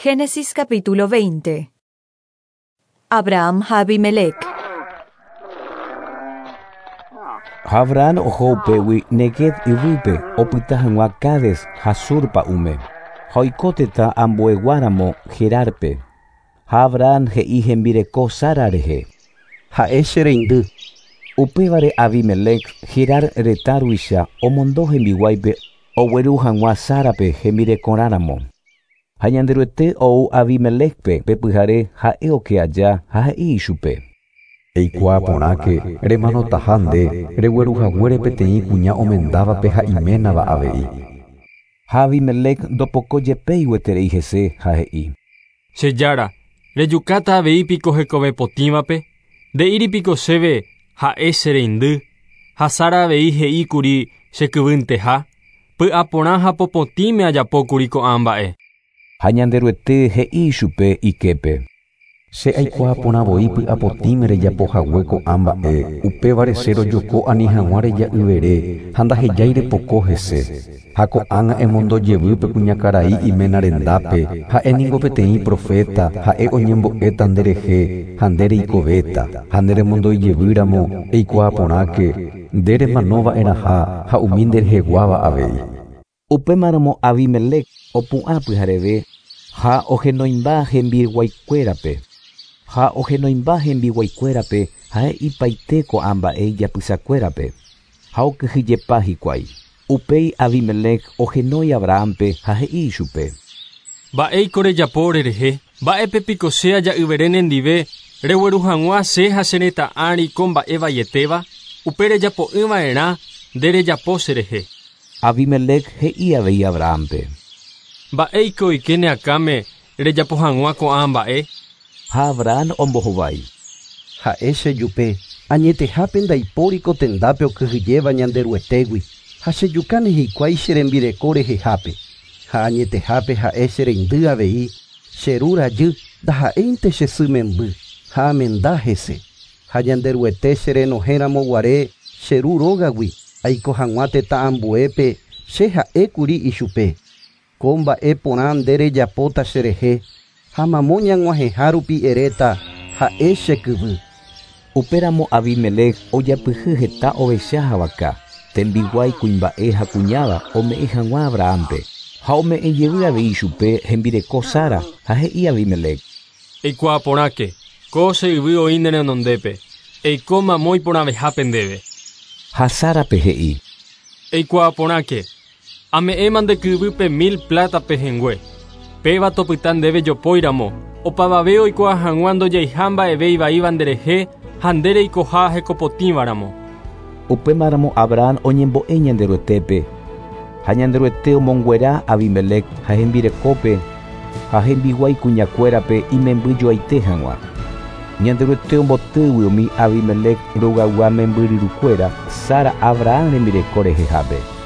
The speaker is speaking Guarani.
Génesis capítulo 20. Abraham ha Abimelec. Ha Abraham oho upégui Neguev yvýpe opyta hag̃ua Cades ha Sur pa'ũme, ha oiko tetã ambueguáramo Gerárpe. Ha Abraham he'i hembireko Sara rehe. Ha'e che reindy. Upévare Abimelec, Gerar retã ruvicha, omondo hembiguáipe ogueru hag̃ua Sárape hembirekorãramo. Ha Ñanderuete ou Abimelécpe pe pyhare ha'e oke aja ha he'i ichupe. Eikuaa porãke, remanotaha nde, regueru haguére peteĩ kuña omendávape ha iménava avei. Ha Abimelec ndopoko jepéi gueterei hese ha he'i. Che Jára, rejukáta avei piko hekove potĩvape? Nde'íri piko chéve ha'e che reindy, ha Sara avei he'i kuri che kyvynteha? Py'aporã ha popotĩme ajapo kuri ko'ã mba'e. Ha Ñanderuete he'i ichupe iképe. Che aikuaa porã voi py'apotĩme rejapo hague ko'ã mba'e, upévare che rojoko ani hag̃ua reja'yvere ha ndahejái repoko hese. Ha ko'ág̃a emondo jevy pe kuñakarai iména rendápe, ha'e ningo peteĩ proféta, ha'e oñembo'éta nderehe ha nde reikovéta. Ha nde remondoi jevy ramo, eikuaa porãke, nde remano va'erãha ha umi ndereheguáva avei. Upémaramo Abimelec opu'ã pyhareve ha ohenoimba hembiguaikuérape. Ha ohenoimba hembiguaikuérape ha he'ipaite ko'ã mba'e ijapysakuérape, ha okyhyjepa hikuái. Upéi Abimelec ohenói Abrahámpe ha he'i ichupe. Mba'éiko rejapo orerehe? Mba'épe piko che aja'yvere nendive regueru hag̃ua che ha che retã ári ko mba'e vaietéva? Upe rejapo'ỹva'erã nde rejapo cherehe. Abimelec he'i avei Abrahámpe. Mba'éiko oike ne akãme rejapo hag̃ua ko'ã mba'e? Ha Abraham ombohovái. Ha'e chejupe, añetehápe ndaipóri ko tendápe okyhyjéva Ñanderuetégui, ha chejukáne hikuái che rembireko rehehápe. Ha añetehápe ha'e che reindy avei, che ru rajy, ndaha'éinte che sy memby, ha amenda hese. Ha Ñanderuete che renohẽramo guare che ru rógagui, aiko hag̃ua tetã ambuépe, che ha'ékuri ichupe. Ko mba'e porã nde rejapóta cherehe, ha mamo ñag̃uahẽha rupi eréta, ha'e che kyvy. Upéramo Abimelec ojapyhy heta ovecha ha vaka, tembiguái kuimba'e ha kuñáva ome'ẽ hag̃ua Abrahámpe, ha ome'ẽ jevy avei ichupe hembireko Sara ha he'i Abimelec. Eikuaa porãke, ko che yvy oĩ ne renondépe, eiko mamo iporãvehápe ndéve. Ha Sárape he'i. Eikuaa porãke, ame'ẽma nde kyvýpe mil pláta pehẽngue. Péva topyta ndéve jopóiramo, opavave oikuaa hag̃ua ndojeiha mba'eve ivaíva nderehe ha nde reikoha hekopotĩvaramo. Upémaramo Abraham oñembo'e Ñanderuetépe, ha Ñanderuete omonguera Abimelec ha hembirekópe ha hembiguái kuñakuérape imemby joaite hag̃ua. Ñanderuete ombotýgui umi Abimelec rogaygua membyryrukuéra Sara Abraham rembireko rehehápe.